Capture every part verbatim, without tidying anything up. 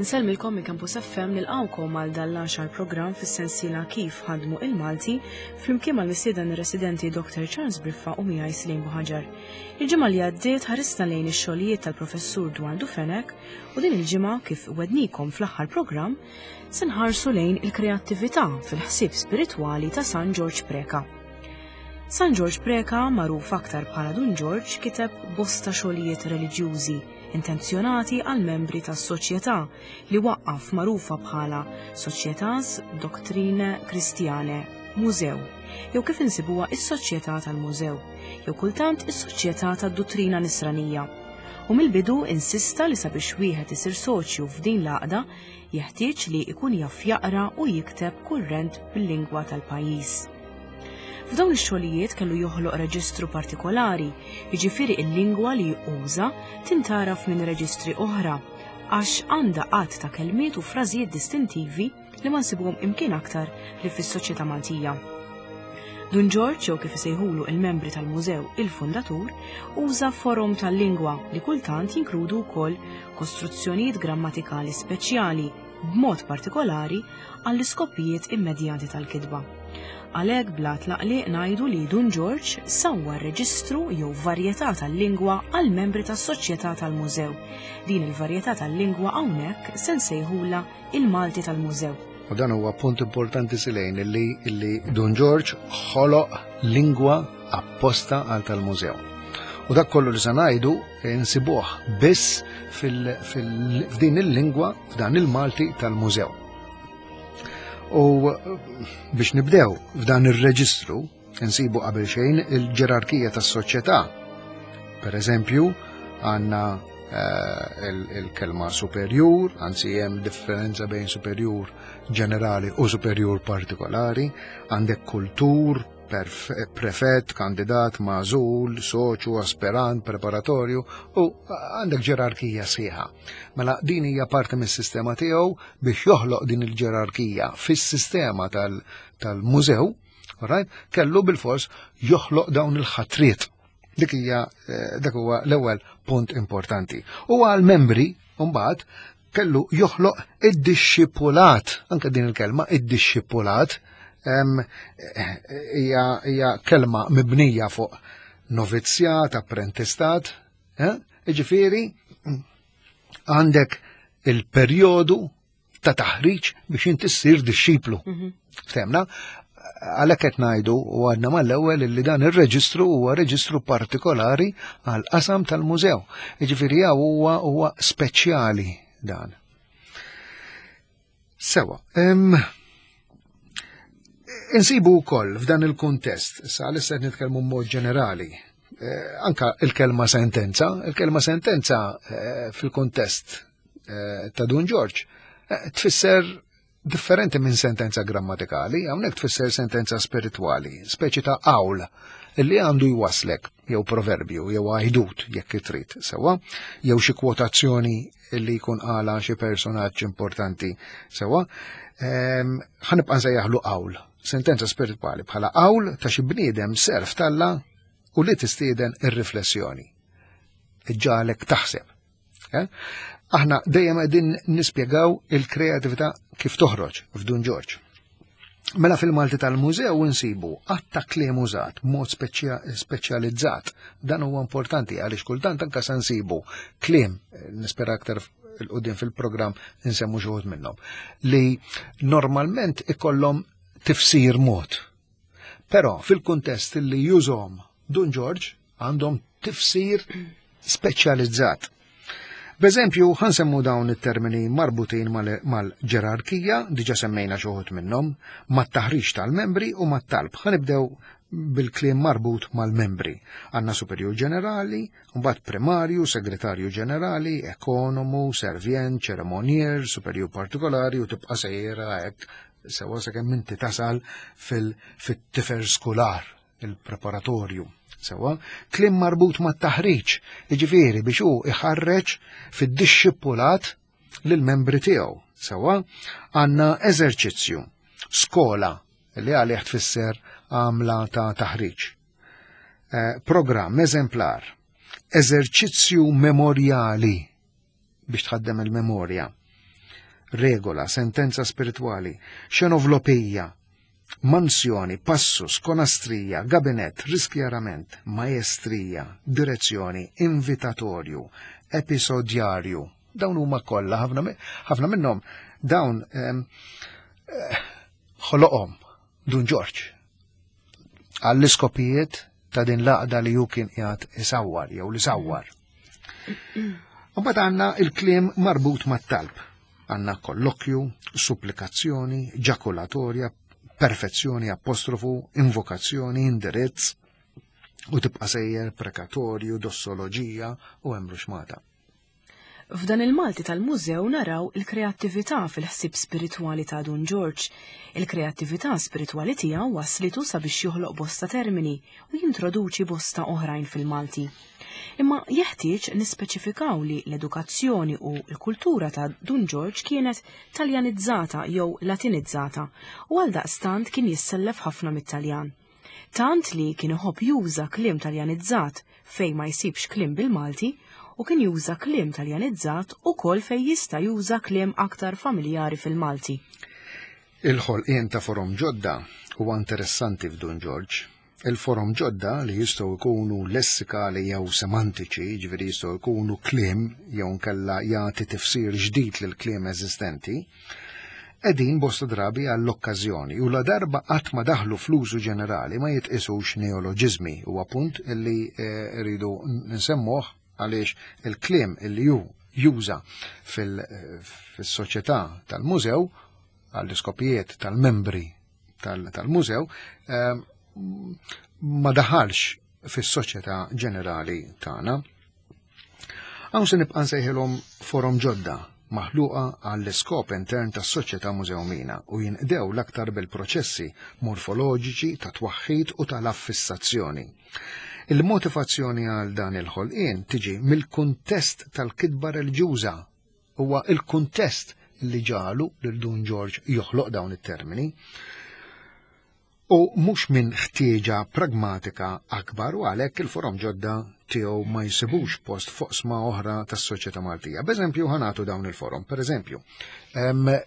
Insellmilkom minn Campus F M, nilqawkom għal dan l-għaxar programm fis-sensiela Kif Ħadmu il-Malti, flimkien mal-mistieden residenti Doctor Charles Briffa u miegħi Slim Buħaġar. Il-ġimgħa li għaddiet ħarisna lejn ix-xogħlijiet tal-professur Dwardu Fenech u din il-ġimgħa, kif wegħednikom fl-aħħar programm, se nħarsu lejn il-kreattività fil-ħsieb spiritwali ta' San Ġorġ Preka. San Ġorġ Preka, magħruf aktar bħala Dun Ġorġ, kiteb bosta xogħlijiet reliġjużi intenzjonati għal membri tas-soċjetà li waqqaf, magħrufa bħala Societas Doctrinae Christianae Musew, jew kif insibuha is-Soċjetà tal-Mużew, jew kultant is-Soċjetà tad-Duttrina Nisranija. U mill-bidu insista li sabiex wieħed isir soċju f'din l-għaqda jeħtieġ li ikun jaf jaqra u jikteb kurrent bil-lingwa tal-pajjiż. F'dawn ix-xogħlijiet kellu joħloq reġistru partikolari, jiġifieri il-lingwa li uża tintgħaraf minn reġistri oħra għax għandha għadd ta' kelmiet u frażijiet distintivi li ma nsibuhom imkien aktar li fis-soċjetà Maltija. Dun Ġorġ, jew kif isejħulu il-membri tal-mużew il-fundatur, uża forom tal-lingwa li kultant jinkludu wkoll kostruzzjonijiet grammatikali speċjali, b'mod partikolari għall-iskopijiet immedjati tal-kitba. Għalhekk bla tlaqliq ngħidu li Dun Ġorġ sawwa reġistru jew varjetà tal-lingwa għal membri tas-Soċjetà tal-Mużew. Din il-varjetà tal-lingwa hawnhekk se nsejħula il-Malti tal-Mużew. U dan huwa punt importanti, Silejn, illi, illi Dun Ġorġ ħoloq lingwa apposta għal tal-mużew. U dak kollu li se ngħidu insibuh biss f'din il-lingwa, f'dan il-Malti tal-mużew. U biex nibdew, f'dan ir-reġistru insibu qabel xejn il-ġerarkija tas-soċjetà. Per eżempju, għandna eh, il-kelma superjur, anzi hemm differenza bejn superjur ġenerali u superjur partikolari, għandek kultur, prefett, kandidat, magħżul, soċu, aspirant, preparatorju u għandek ġerarkija sħiħa. Mela din hija parti mis-sistema tiegħu biex joħloq din il-ġerarkija fis-sistema tal-mużew, right? Kellu bil-fors joħloq dawn il-ħatriet. Dik hija eh, dak huwa l-ewwel punt importanti. U għal membri mbagħad kellu joħloq id-dixxipulat, anke din il-kelma id-dixxipulat hija hija kelma mibnija fuq novizzjat, apprentistat, eh? Iġifieri għandek il-perjodu ta' taħriġ biex inti ssir dixxiplu. Mhm. Ftemna? Għalhekk qed ngħidu u għadna mal-ewwel li dan ir-reġistru huwa reġistru partikolari għal qasam tal-mużew. Jiġifieri huwa huwa speċjali dan. Sewa, insibu wkoll f'dan il-kuntest, sa issa qed nitkellmu mod ġenerali, eh, anka il-kelma sentenza, il-kelma sentenza eh, fil-kuntest eh, ta' Dun Ġorġ tfisser differenti minn sentenza grammatikali, hawnhekk tfisser sentenza spiritwali, speċi ta' qawl illi għandu jwaslek, jew proverbju, jew għajdut jekk trid, sewa, jew xi kwotazzjoni illi jkun qala xi personaġġ importanti, sewa, ħa nibqa' nsejjaħlu qawl, sentenza spiritwali bħala qawl ta' xi bniedem serv t'Alla u li tistieden ir-riflessjoni. Iġġagħlek taħseb. Eh? Aħna dejjem qegħdin nispjegaw il-kreatività kif toħroġ f'Dun Ġorġ. Mela fil-Malti tal-Mużew insibu għadd ta' kliem użat mod speċjalizzat. Dan huwa importanti għaliex kultant anka se nsibu kliem, nispera aktar 'il quddiem fil-programm nsemmu xi wħud minnhom, li normalment ikollhom tifsir mod. Però fil-kuntest li jużhom Dun Ġorġ għandhom tifsir speċjalizzat. B'eżempju, ħa nsemmu dawn it-termini marbutin mal-ġerarkija, diġa semmejna xi wħud minnhom, mat-taħriġ tal-membri u mat-talb. Ħa nibdew bil-kliem marbut mal-membri. Għandna superjur ġenerali, mbagħad primarju, segretarju ġenerali, ekonomu, servient, ċeremonjer, superjur partikolari u tibqa' sejra hekk sewa sakemm inti tasal fil-tifer skular, il-preparatorju. Sewa, kliem marbut ma' taħriġ, iġifieri biex hu iħarreġ fid-dixxipulat lill-membri tiegħu. Sewa, għandna eżerċizzju, skola, li għalih tfisser għamla ta' taħriġ. Eh, programm eżemplar, eżerċizzju memorjali biex tħaddem il-memorja. regola, sentenza spiritwali, xenovlopija, mansjoni, passus, konastrija, gabinett, riskjarament, maestrija, direzzjoni, invitatorju, episodjarju. Dawn huma kollha ħafna minnhom dawn ħoloqhom Dun Ġorġ għall-iskopijiet ta' din l-għaqda li hu kien qiegħed isawwar jew li sawwar. Mbagħad għandna il-kliem marbut mat-talb. Għandna kollokju, supplikazzjoni, ġakulatorja, perfezzjoni, apostrofu, invokazzjoni, indirizz, u tibqa' sejjer prekatorju, dossoloġija u hemm ruxmata. F'dan il-Malti tal-mużew naraw il-kreattività fil-ħsieb spiritwali ta' Dun Ġorġ. Il-kreattività spiritwali tiegħu waslitu sabiex joħloq bosta termini u jintroduċi bosta oħrajn fil-Malti. Imma jeħtieġ nispeċifikaw li l-edukazzjoni u l-kultura ta' Dun Ġorġ kienet taljanizzata jew latinizzata u għaldaqstant kien jissellef ħafna mit-Taljan. Tant li kien iħobb juża kliem taljanizzat fejn ma jsibx kliem bil-Malti u kien juża kliem taljanizzat ukoll fejn jista' juża kliem aktar familjari fil-Malti. Il-ħolqien ta' forom ġodda huwa interessanti f'Dun Ġorġ. Il-forom ġodda li jistgħu jkunu lessikali jew semantiċi, jiġifieri jistgħu jkunu kliem jew nkella jagħti tifsir ġdid lil kliem eżistenti, qegħdin bosta drabi għall-okkażjoni u la darba qatt ma daħlu fl-użu ġenerali ma jitqisux neoloġiżmi, huwa punt illi rridu nsemmuh għaliex il-kliem illi ju juża fil-soċjetà tal-mużew għall-iskopijiet tal-membri tal-mużew ma daħalx fis-soċjetà ġenerali tagħna. Hawn se nibqa' nsejħilhom forom ġodda maħluqa għall-iskop intern tas-soċjetà mużewmina u jinqdew l-aktar bil-proċessi morfoloġiċi ta' twaħħid u tal-affissazzjoni. Il-motivazzjoni għal dan il-ħolqien tiġi mill-kuntest tal-kitba reliġjuża. Huwa il-kuntest li ġalu lil Dun Ġorġ joħloq dawn it-termini u mhux minn ħtieġa pragmatika akbar, u għalhekk il-forom ġodda tiegħu ma jsibux post foqsma oħra tas-soċjetà Maltija. B'eżempju ħanatu dawn il-forom. Pereżempju,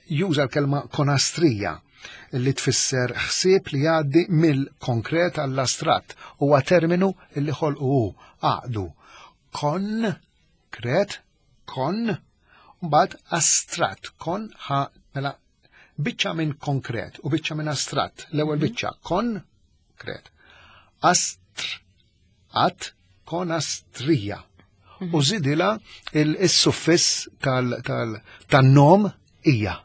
juża l-kelma konastrija li tfisser ħsieb li jgħaddi mill-konkret għall-astratt, huwa terminu li ħolqu hu, għaqdu kon kret kon mbagħad astratt, kon ħa mela biċċa minn konkret u biċċa minn astratt. L-ewwel biċċa kon kret, astr at konastrija, u żidilha il-suffiss tan-nom hija.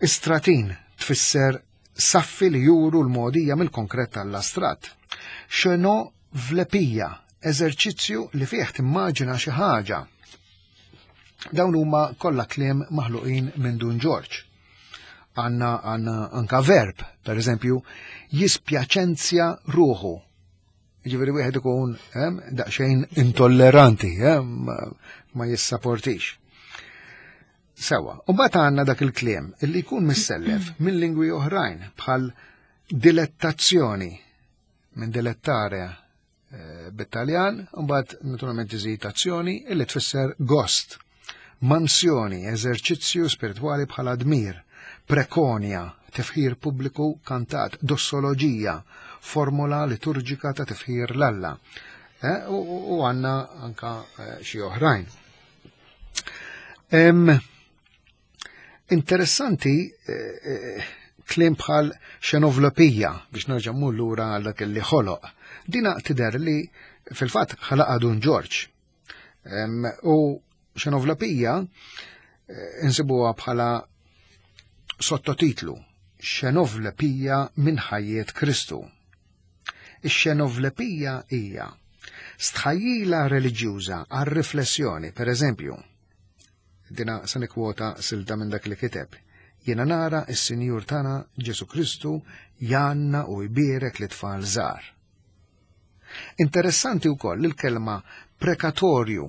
Istratin tfisser saffi li juru l-modija mill-konkret tal-astratt. Xenovlepija, eżerċizzju li fih timmaġina xi ħaġa. Dawn huma kollha kliem maħluqin minn Dun Ġorġ. Għandna għandna anka verb, per eżempju, jispjaċenzja ruħu. Jiġifieri wieħed ikun daqsxejn intolleranti, ma jissaportix. Sewa, u mbagħad għandna dak il-kliem illi jkun missellef minn lingwi oħrajn bħal dilettazzjoni, minn dilettare bit-Taljan, u mbagħad naturalment iżid azzjoni illi tfisser gost, mansjoni, eżerċizzju spiritwali bħala dmir, prekonja, tifħir pubbliku kantat, dossoloġija, formola liturġika ta' tifħir l-Alla. U għandna anka xi oħrajn. Interessanti kliem bħal xenovlopija, biex nerġa' mmur lura għal dak li ħoloq. Dina tidher li fil-fatt ħalaqha Dun Ġorġ. U xenovlopija insibuha bħala sottotitlu Xenovlepija minn ħajjet Kristu. Ix-xenovlepija hija stħajjila reliġjuża għal riflessjoni, per eżempju, dina se nikkwota silta minn dak li kiteb. Jiena nara s-Sinjur tagħna Ġesu Kristu janna u jbierek li tfal żgħar. Interessanti wkoll il-kelma prekatorju.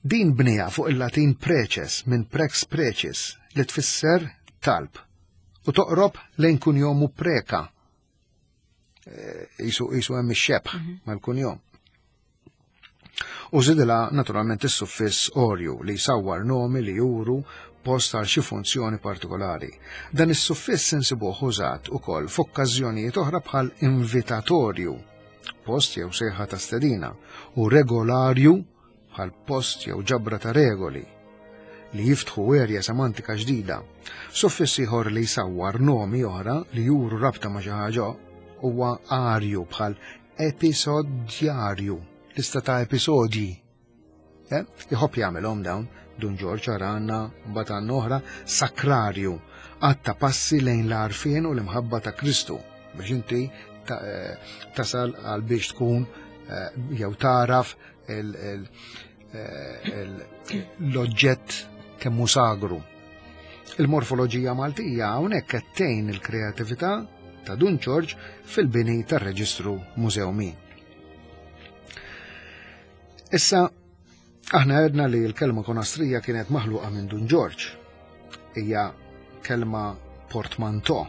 Din bnija fuq il-Latin preces minn prex precis li tfisser talb u toqrob lejn kunjomu preka. Isu isu hemm ix-xebħ mal-kunjom. U żidilha naturalment is-suffiss orju li jsawwar nomi li juru post għal xi funzjoni partikolari. Dan is-suffiss insibuh użat ukoll f'okkażjonijiet oħra bħal invitatorju, post jew sejħa ta' stedina, u regolarju bħal post jew ġabra ta' regoli li jiftħu erja semantika ġdida. Suffiss ieħor li jsawwar nomi oħra li juru rabta ma' xi ħaġa huwa arju bħal episodjarju, lista ta' episodji. Eh? Iħobb jagħmelhom dawn, Dun Ġorġ għandna mbagħad għandna oħra sakrarju, għatta passi lejn l-għarfien u l-imħabba ta' Kristu biex inti ta- eh, tasal għal biex tkun eh, jew taraf il- il- eh, il- l-oġġett kemm hu sagru. Il-morfoloġija Maltija hawnhekk qed tgħin il-kreatività ta' Dun Ġorġ fil-bini tar-Reġistru Mużewmin. Issa, aħna għedna li l-kelma konastrija kienet maħluqa minn Dun Ġorġ. Hija kelma portmanteau,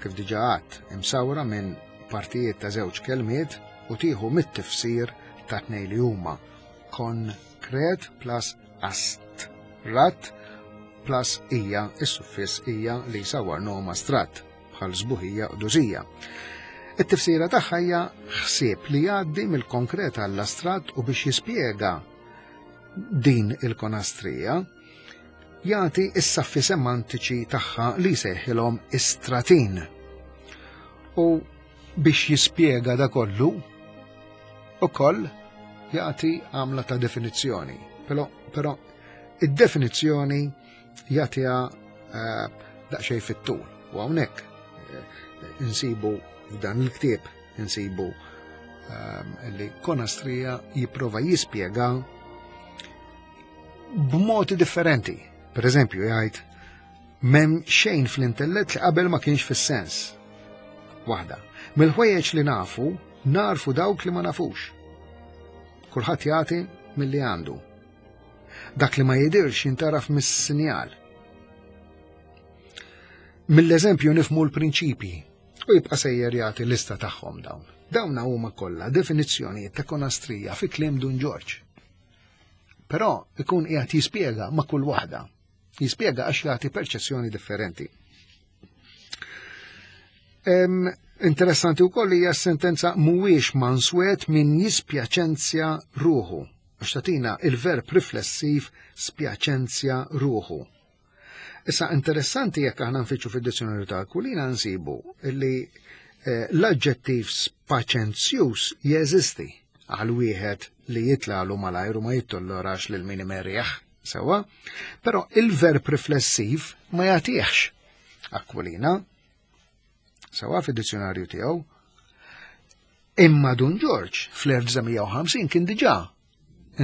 kif diġà għadt, imsawra minn partijiet ta' żewġ kelmiet u tieħu mit-tifsir ta' tnejn li huma konkret plus astrat plus ija, is-suffiss ija li jsawwar nom astratt bħal sbuħija u dużija. It-tifsira tagħha hija ħsieb li jgħaddi mill-konkret għall-astratt u biex jispjega din il-konastrija jagħti is-saffi semantiċi tagħha li jsejħilhom istratin. U biex jispjega da kollu, ukoll jagħti għamla ta' definizzjoni. Però, però id-definizzjoni jagħtiha eh, daqsxejn fit-tul. U hawnhekk eh, insibu f'dan il-ktieb insibu ehm, li konastrija jipprova jispjega b'modi differenti. Per eżempju, jgħid m'hemm xejn fl-intellett li qabel ma kienx fis-sens. Waħda. Mill-ħwejjeġ li nafu, narfu dawk li ma nafux. Kulħadd jagħti milli għandu. Dak li ma jidirx jintaraf mis-sinjal. Mill-eżempju nifmu l-prinċipji u jibqa' sejjer jagħti lista tagħhom dawn. Dawn huma kollha definizzjonijiet ta' konastrija fi kliem Dun Ġorġ. Però ikun qiegħed jispjega ma' kull waħda. Jispjega għax jagħti perċezzjoni differenti. Em, interessanti wkoll hija s-sentenza mhuwiex manswet min jispjaċenzja ruħu. Għax tagħtina il-verb riflessiv spjaċenzja ruħu. Issa interessanti jekk aħna nfittxu fid-dizzjonarju ta' Aquilina nsibu li eh, l-aġġettiv spaċenzjuż jeżisti għal wieħed li jitlalu malajr u ma jittollorax lil min imerjaħ, sewwa, però il-verb riflessiv ma jagħtihx Aquilina sewwa fid-dizzjonarju tiegħu. Imma Dun Ġorġ fl-elf disa' mija u ħamsin kien diġà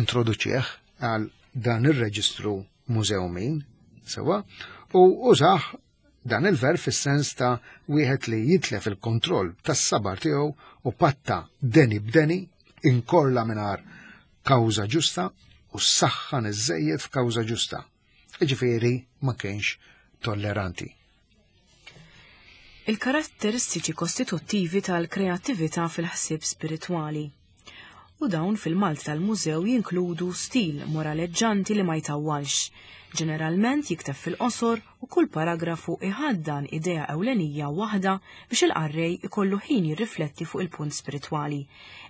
introduċih għal dan ir-reġistru mużewmin, sewwa, u użah dan il-verb fis-sens ta' wieħed li jitlef il-kontroll tas-sabar tiegħu u patta deni b'deni, inkorla mingħajr kawża ġusta u saħħan iżżejjed f'kawża ġusta. Jiġifieri ma kienx tolleranti. Il-karatteristiċi kostituttivi tal-kreattività fil-ħsieb spiritwali. U dawn fil-Malti tal-mużew jinkludu stil moraleġġanti li ma jtawwalx. Ġeneralment jikteb fil-qosor u kull paragrafu iħaddan idea ewlenija waħda biex il-qarrej ikollu ħin jirrifletti fuq il-punt spiritwali.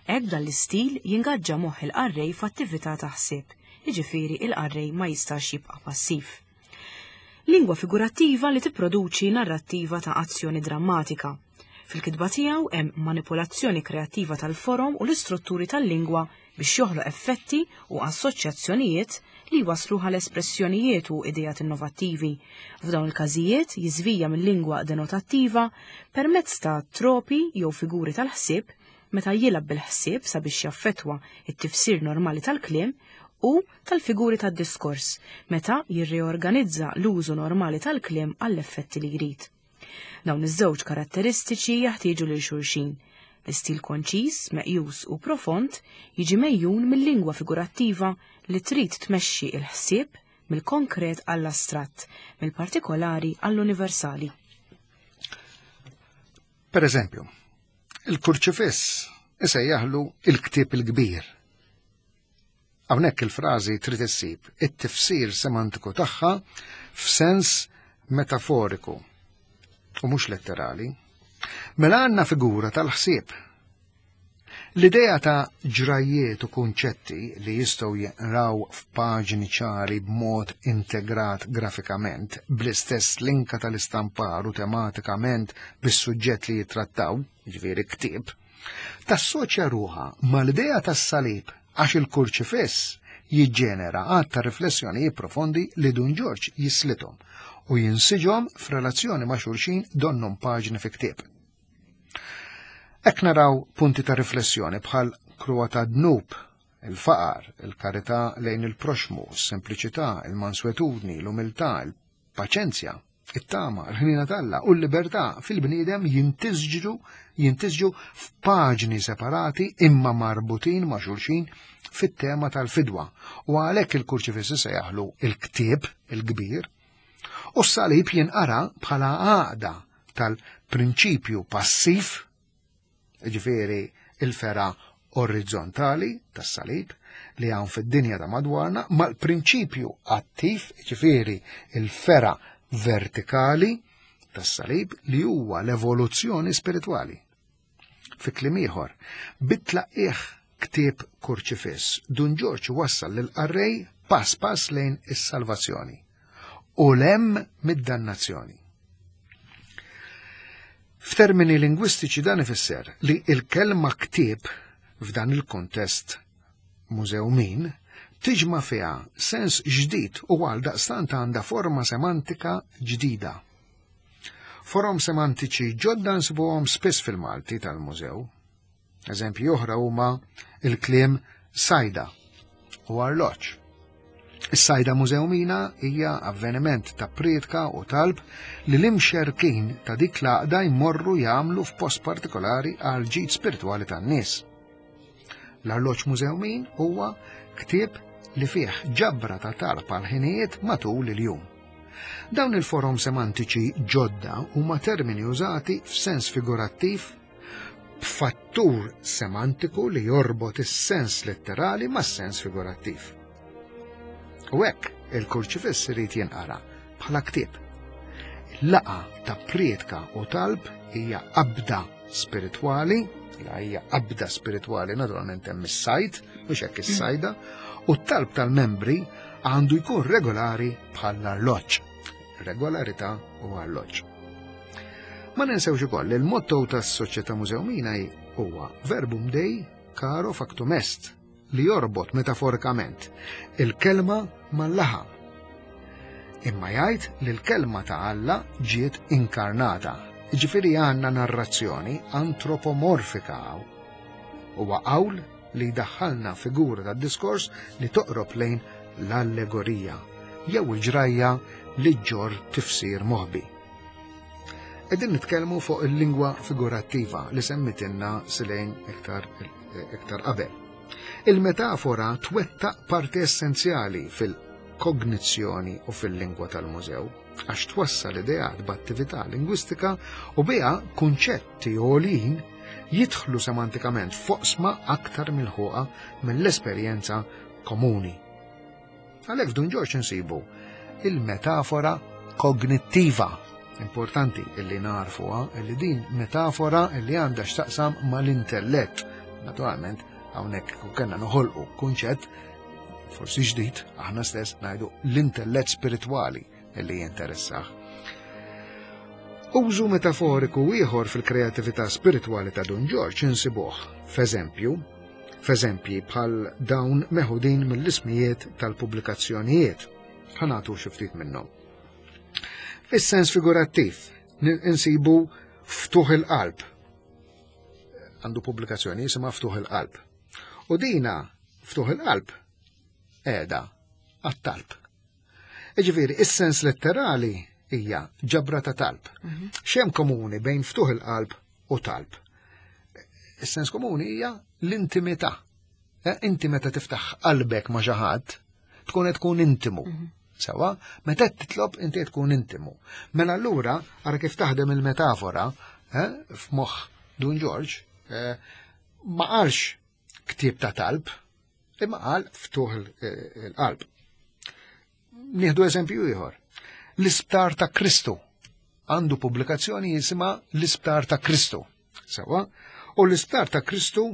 Hekk dan l-istil jingaġġa moħħ il-qarrej f'attività ta' ħsieb, jiġifieri il-qarrej ma jistax jibqa' passiv. Lingwa figurattiva li tipproduċi narrattiva ta' azzjoni drammatika. Fil-kitba tiegħu hemm manipolazzjoni kreattiva tal-forom u l-istrutturi tal-lingwa biex joħloq effetti u assoċjazzjonijiet li waslu għal espressjonijiet u idejat innovattivi. F'dawn il-każijiet jiżvija mill-lingwa denotattiva permezz ta' tropi jew figuri tal-ħsieb meta jilgħab bil-ħsieb sabiex jaffettwa it-tifsir normali tal-kliem u tal-figuri tad-diskors meta jirreorganizza l-użu normali tal-kliem għall-effetti li jrid. Dawn iż-żewġ karatteristiċi jaħtieġu lil xulxin. L-istil konċis, meqjus u profond jiġi mejjun mill-lingwa figurattiva li trid tmexxi il-ħsieb mill-konkret għall-astratt, mill-partikolari għall-universali. Per eżempju, il-kurċifiss isejjaħlu il-ktieb il-kbir. Hawnhekk il-frażi trid issib it-tifsir semantiku tagħha f'sens metaforiku u mhux letterali. Mela għandna figura tal-ħsieb. L-idea ta' ġrajiet u kunċetti li jistgħu jinqraw f'paġni ċari b'mod integrat grafikament, bl-istess linka tal-istampar u tematikament bis-suġġett li jittrattaw, jiġifieri ktieb, tassoċja ruħha mal-idea tas-salib għax il-kurċifiss jiġġenera għadd ta' riflessjonijiet profondi li Dun Ġorġ jislithom u jinsiġhom f'relazzjoni ma' xulxin donnhom paġni fi ktieb. Hekk naraw punti ta' riflessjoni bħal kruha ta' dnub, il-faqar, il-karità lejn il-proxmu, is-sempliċità, il-manswetudni, l-umiltà, il-paċenzja, it-tama, il-ħnina t'Alla u l-libertà fil-bniedem jintisġu jintisġu f'paġni separati imma marbutin ma' xulxin fit-tema tal-fidwa. U għalhekk il-kurċifiss se jaħlu il-ktieb il-kbir u s-salib jinqara bħala għaqda tal-prinċipju passiv, ġifieri il-fera orizzontali tas-salib li hawn fid-dinja ta' madwarna, mal-prinċipju attiv, ġifieri il-fera vertikali tas-salib li huwa l-evoluzzjoni spiritwali. Fi kliem ieħor, bit-tlaqqih ktieb kurċifiss, Dun Ġorġ wassal lil qarrej pass pass lejn is-salvazzjoni u lem mid-dannazzjoni. F'termini lingwistiċi dan ifisser li il-kelma ktieb f'dan il-kontest mużewmin tiġma fiha sens ġdid u għal daqstant għandha forma semantika ġdida. Forom semantiċi ġodda nsibuhom spiss fil-Malti tal-mużew. Eżempji oħra huma il-kliem sajda u arloġġ. Is-sajda mużewmina hija avveniment ta' prietka u talb li l-imxerkin ta' dik l-għaqda jmorru jagħmlu f'post partikolari għal ġid spiritwali tan-nies. L-arloġġ mużewmin huwa ktieb li fih ġabra ta' talb għal ħinijiet matul il-jum. Dawn il-forom semantiċi ġodda huma termini użati f'sens figurattiv b'fattur semantiku li jorbot is-sens letterali mas-sens figurattiv. U hekk il-kurċifiss irid jinqara bħala ktieb. Il-laqgħa ta' prietka u talb hija qabda spiritwali, la hija qabda spiritwali naturalment hemm is-sajd, mhux hekk is-sajda, u t-talb tal-membri għandu jkun regolari bħall-arloġġ. Regolarità u arloġġ. Ma ninsewx ukoll li l-motto tas-Soċjetà Mużewmina huwa Verbum Dei caro factum est, li jorbot metaforikament il-kelma mal-laħam. Imma jgħid li l-kelma ta' Alla ġiet inkarnata. Ġifieri għandna narrazzjoni antropomorfika hawn. Huwa qawl li jdaħħalna figura tad-diskors li toqrob lejn l-allegorija jew il-ġrajja li ġġorr tifsir moħbi. Qegħdin nitkellmu fuq il-lingwa figurattiva li semmitilna Silejn iktar iktar qabel. Il-metafora twettaq parti essenzjali fil-kognizzjoni u fil-lingwa tal-mużew, għax twassal ideat b'attività lingwistika u biha kunċetti għoljin jidħlu semantikament f'oqsma aktar milħuqa mill-esperjenza komuni. Għalhekk f'Dun Ġorġ insibu il-metafora kognittiva. Importanti illi narfuha illi din metafora illi għandha x'taqsam mal-intellett. Naturalment, hawnhekk kellna noħolqu kunċett forsi ġdid, aħna stess ngħidu l-intellett spiritwali illi jinteressah. Użu metaforiku ieħor fil-kreatività spiritwali ta' Dun Ġorġ insibuh, f'eżempju, f'eżempji bħal dawn meħudin mill-ismijiet tal-pubblikazzjonijiet. Ħa nagħtu xi ftit minnhom. Fis-sens figurattiv insibu Ftuħ il-Qalb. Għandu pubblikazzjoni jisimha Ftuħ il-Qalb. U dina Ftuħ il-Qalb qiegħda għat-talb. Ġifieri, is-sens letterali hija ġabra ta' talb. X'hemm komuni bejn ftuħ il-qalb u talb? Is-sens komuni hija l-intimità. Inti meta tiftaħ qalbek ma' xi ħadd, tkun qed tkun intimu. Sewa, meta titlob inti qed tkun intimu. Mela allura ara kif taħdem il-metafora f'moħħ Dun Ġorġ, ma qalx ktieb ta' talb, Imma qal ftuħ il-qalb. Nieħdu eżempju ieħor. L-Isptar ta' Kristu għandu pubblikazzjoni jisimha L-Isptar ta' Kristu. Sewa, u l-Isptar ta' Kristu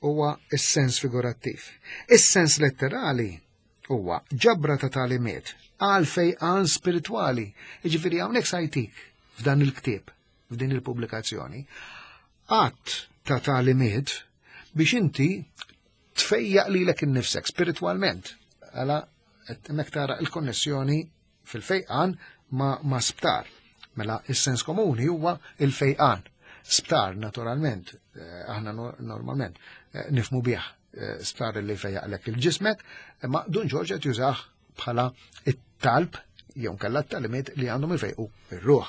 huwa is-sens figurattiv. Is-sens letterali huwa ġabra ta' tagħlimiet għal fejqan spiritwali. Jiġifieri hawnhekk sajtik f'dan il-ktieb, f'din il-pubblikazzjoni, għadd ta' tagħlimiet biex inti tfejjaq lilek innifsek spiritwalment. Għala hemmhekk tara il-konnessjoni fil-fejqan ma, ma sptar. Mela is-sens komuni huwa il-fejqan. Sptar, naturalment, aħna normalment nifmu bih sptar li fejjaqlek il-ġismek, imma Dun Ġorġ qed jużah bħala it-talb jew nkella t-tagħlimiet li għandhom ifejqu ir-ruħ.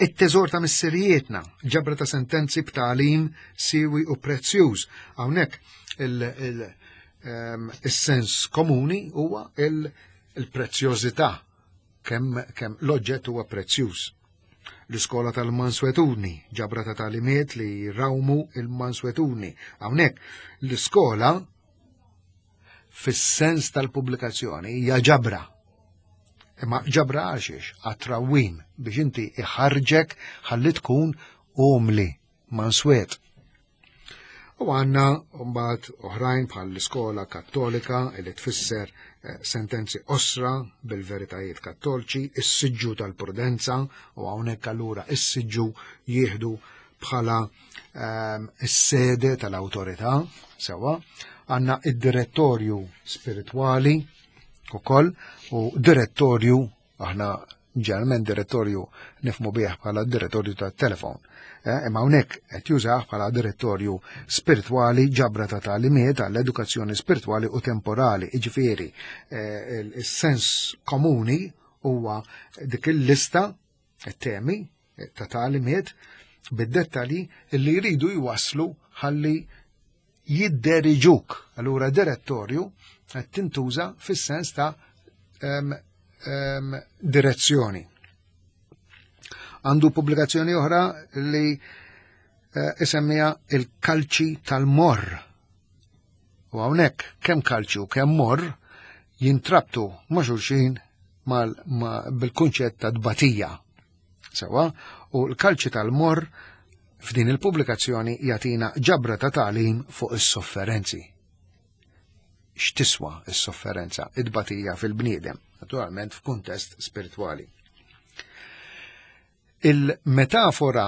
It-teżor ta' missirijietna, ġabra ta' sentenzi b'tagħlim siwi u prezzjuż. Hawnhekk il-sens komuni huwa il-prezzjożità, kemm kemm l-oġġett huwa prezzjuż. L-iskola tal-manswetudni, ġabra ta' tagħlimiet li rawmu il-manswetudni. Hawnhekk l-iskola fis-sens tal-pubblikazzjoni hija ġabra. Imma ġabra għalxiex, għat-trawwim biex inti iħarġek ħalli tkun umli, manswet. U għanna mbagħad oħrajn bħal l-iskola kattolika li tfisser sentenzi osra bil-veritajiet kattoliċi, is-siġġu tal-prudenza, u hawnhekk allura is-siġġu jieħdu bħala is-sede tal-awtorità, sewa. Għanna id-direttorju spiritwali ukoll, u direttorju, aħna ġeneralment direttorju nifmu bih bħala direttorju tat-telefon. Imma hawnhekk qed jużah bħala direttorju spiritwali, ġabra ta' tagħlimiet għall-edukazzjoni spiritwali u temporali. Jiġifieri is-sens komuni huwa dik il-lista temi ta' tagħlimiet bid-dettalji li jridu jwasslu ħalli jidderiġuk. Allura direttorju qed tintuża fis-sens ta' direzzjoni. Għandu pubblikazzjoni oħra li isemmija il-kalċi tal-morr. U hawnhekk kemm kalċi u kemm morr jintrabtu ma' xulxin bil-kunċett ta' tbatija. Sewa, u l-kalċi tal-morr f'din il-pubblikazzjoni jagħtina ġabra ta' tagħlim fuq is-sofferenzi. X'tiswa s-sofferenza, id-tbatija fil-bniedem, naturalment f'kuntest spiritwali. Il-metafora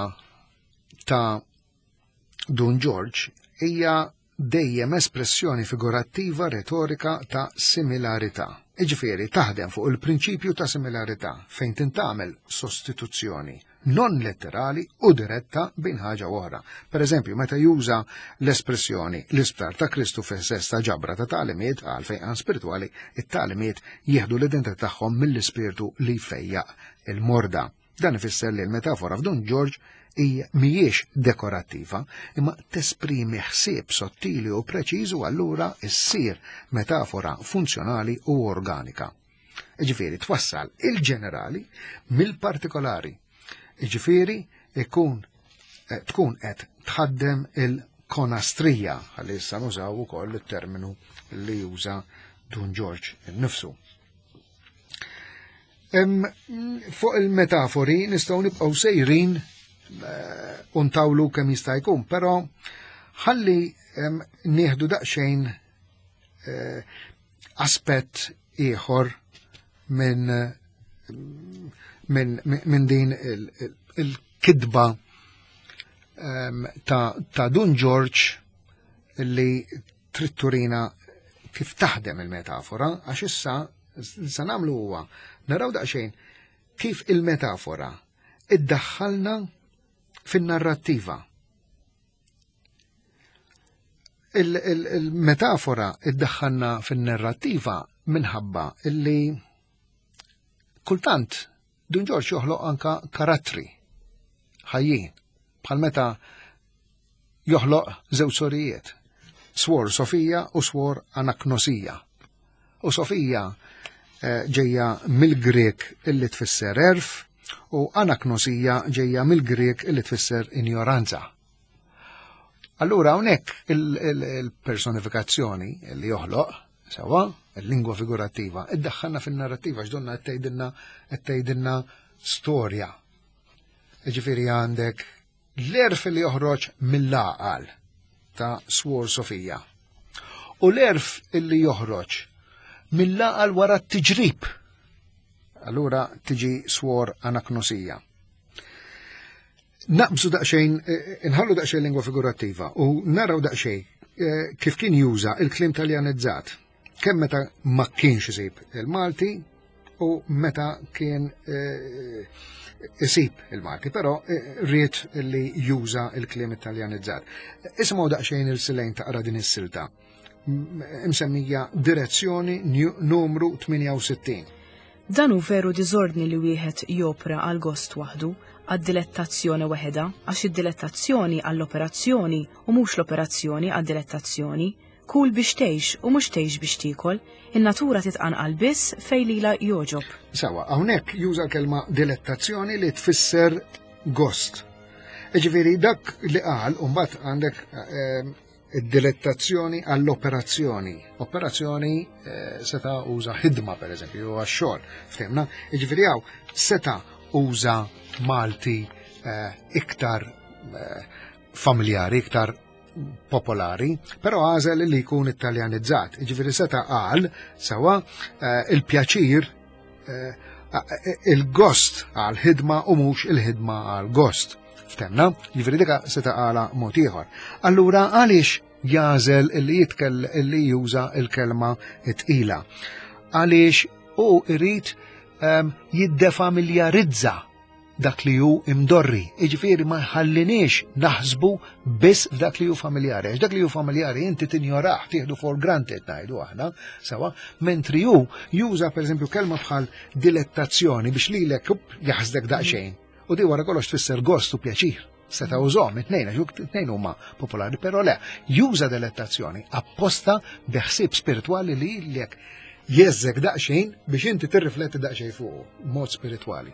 ta' Dun Ġorġ hija dejjem espressjoni figurattiva retorika ta' similarità. Jiġifieri taħdem fuq il-prinċipju ta' similarità fejn tintgħamel sostituzzjoni non letterali u diretta bejn ħaġa oħra. Per eżempju, meta juża l-espressjoni l-Isptar ta' Kristu fis-sens ta' ġabra ta' tagħlimiet għal fejqan spiritwali, it-tagħlimiet jieħdu l-identità tagħhom mill-ispirtu li jfejjaq il-morda. Dan ifisser li l-metafora f'Dun Ġorġ hija mhijiex dekorattiva, imma tesprimi ħsieb sottili u preċiż u allura ssir metafora funzjonali u organika. Jiġifieri twassal il-ġenerali mill-partikolari. Jiġifieri ikun tkun qed tħaddem il-konastrija, ħalli issa nużaw ukoll it-terminu li juża Dun Ġorġ innifsu. Fuq il-metafori nistgħu nibqgħu sejrin u ntawlu kemm jista' jkun, però ħalli nieħdu daqsxejn aspett ieħor minn min, min din il-kidba ta', ta' Dun Ġorġ li trid turina kif taħdem il-metafora, għax issa sa nagħmlu huwa naraw daqsxejn kif il-metafora iddaħħalna fin-narrattiva. Il-metafora iddaħħalna fin-narrattiva minħabba illi kultant Dun Ġorġ joħloq anka karattri ħajjin, bħal meta joħloq żewġ sorijiet, Swor Sofija u Swor Anaknosija. U Sofija ġejja mill-Grek illi tfisser erf, u Anaknosija ġejja mill-Grek illi tfisser injoranza. Allura hawnhekk il-personifikazzjoni li joħloq, sewwa, il-lingwa figurattiva, iddaħħalna fin-narrattiva x'donna qed tgħidilna qed tgħidilna storja. Ġifieri għandek l-għerf li joħroġ mill-għaqal ta' Swor Sofija. U l-għerf li joħroġ mill-għaqal wara t-tiġrib. Allura tiġi Swor Anaknosija. Naqbżu daqsxejn, inħallu daqsxejn lingwa figurattiva u naraw daqsxejn kif kien juża il-kliem taljanizzat. Kemm meta ma kienx isib il-Malti u meta kien isib il-Malti, però ried li juża il-kliem italjanizzat. Isimgħu daqsxejn il-Silejn taqra din is-silta. Imsemmija direzzjoni numru tmienja u sittin. Dan hu veru diżordni li wieħed jopra għal gost waħdu, għad-dilettazzjoni weħeda, għax id-dilettazzjoni għall-operazzjoni u mhux l-operazzjoni għad-dilettazzjoni, kul biex tgħix u mhux tgħix biex tiekol, in-natura titqanqal biss fejn lilha jogħġob. Sawa, hawnhekk juża l-kelma dilettazzjoni li tfisser gost. Ġifieri dak li qal u mbagħad għandek id-dilettazzjoni għall-operazzjoni. Operazzjoni seta' uża ħidma pereżempju għax-xogħol, ftemna. Jiġifieri hawn seta' uża Malti iktar familjari, iktar popolari, però għażel li jkun italjanizzat. Jiġifieri seta' qal sewwa il-pjaċir, il-gost għal-ħidma u mhux il-ħidma għal-gost. Ftemna, jiġifieri dika seta' qala mod ieħor. Allura għaliex jażel illi jitkell illi juża il-kelma tqila? Għaliex hu irid jiddefamiljarizza dak li hu imdorri. Jiġifieri ma jħalliniex naħsbu biss f'dak li hu familjari. Għax dak li hu familjari inti tinjorah, tieħdu for granted ngħidu aħna, sewa, mentri hu juża pereżempju kelma bħal dilettazzjoni biex lilek jaħsdek daqsxejn. U di wara kollox tfisser gost u pjaċir. Seta' użhom it-tnejn, għax it-tnejn huma popolari, però le, juża dilettazzjoni apposta bi ħsieb spiritwali li lilek jeżżek daqsxejn biex inti tirrifletti daqsxejn fuq mod spiritwali.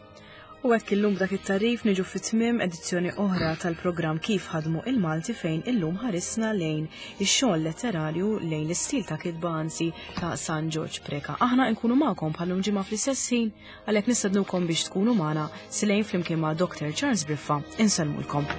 U hekk illum b'dak it-tarif niġu fit-tmiem edizzjoni oħra tal-programm Kif Ħadmu il-Malti, fejn illum ħarisna lejn ix-xogħol letterarju, lejn l-istil ta' kitba anzi ta' San Ġorġ Preca. Aħna nkunu magħkom bħalum ġimgħa fl-istess ħin, għalhekk nistednukom biex tkunu magħna Silejn flimkien ma' Doctor Charles Briffa. Insellmulkom.